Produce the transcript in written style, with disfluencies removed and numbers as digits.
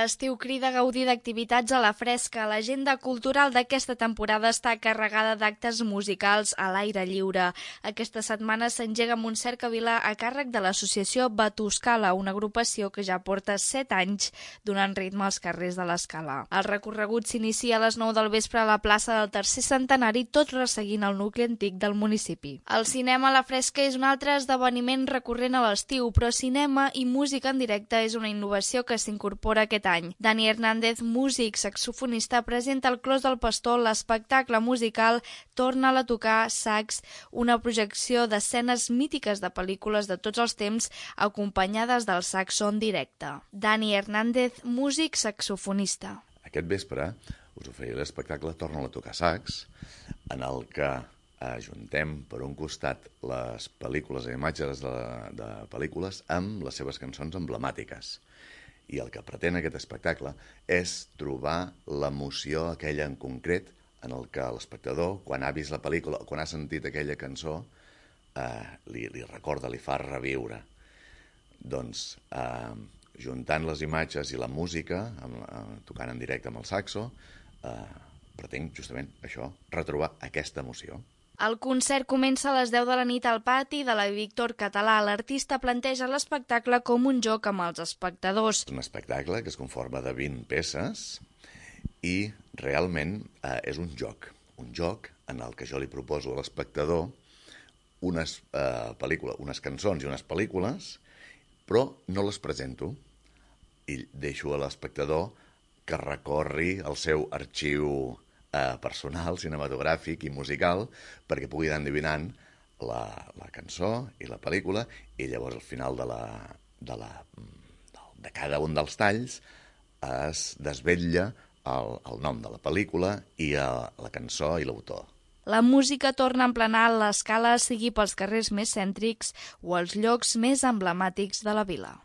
L'estiu crida a gaudir d'activitats a la fresca. L'agenda cultural d'aquesta temporada està carregada d'actes musicals a l'aire lliure. Aquesta setmana s'engega amb un cercavila a càrrec de l'associació Batuscala, una agrupació que ja porta 7 anys donant ritme als carrers de l'Escala. El recorregut s'inicia a les 9 del vespre a la plaça del Tercer Centenari, tot resseguint el nucli antic del municipi. El cinema a la fresca és un altre esdeveniment recurrent a l'estiu, però cinema i música en directe és una innovació que s'incorpora aquest any. Dani Hernández, músic, saxofonista, presenta al Clos del Pastor l'espectacle musical Torna'l a tocar sax, una projecció d'escenes mítiques de pel·lícules de tots els temps acompanyades del saxo en directe. Dani Hernández, músic, saxofonista. Aquest vespre us oferiré l'espectacle Torna'l a tocar sax, en el que ajuntem per un costat les pel·lícules i imatges de pel·lícules amb les seves cançons emblemàtiques. I el que pretén aquest espectacle és trobar l'emoció aquella en concret en el que l'espectador, quan ha vist la pel·lícula o quan ha sentit aquella cançó, li recorda, li fa reviure. Doncs, juntant les imatges i la música, tocant en directe amb el saxo, pretenc justament això, retrobar aquesta emoció. El concert comença a les 10 de la nit al pati de la Víctor Català. L'artista planteja l'espectacle com un joc amb els espectadors. És un espectacle que es conforma de 20 peces i realment és un joc en el que jo li proposo a l'espectador unes cançons i unes pel·lícules, però no les presento i deixo a l'espectador que recorri el seu arxiu personal, cinematogràfic i musical perquè pugui anar endevinant la cançó i la pel·lícula i llavors al final de cada un dels talls es desvetlla el nom de la pel·lícula i la cançó i l'autor. La música torna a emplenar l'Escala, sigui pels carrers més cèntrics o els llocs més emblemàtics de la vila.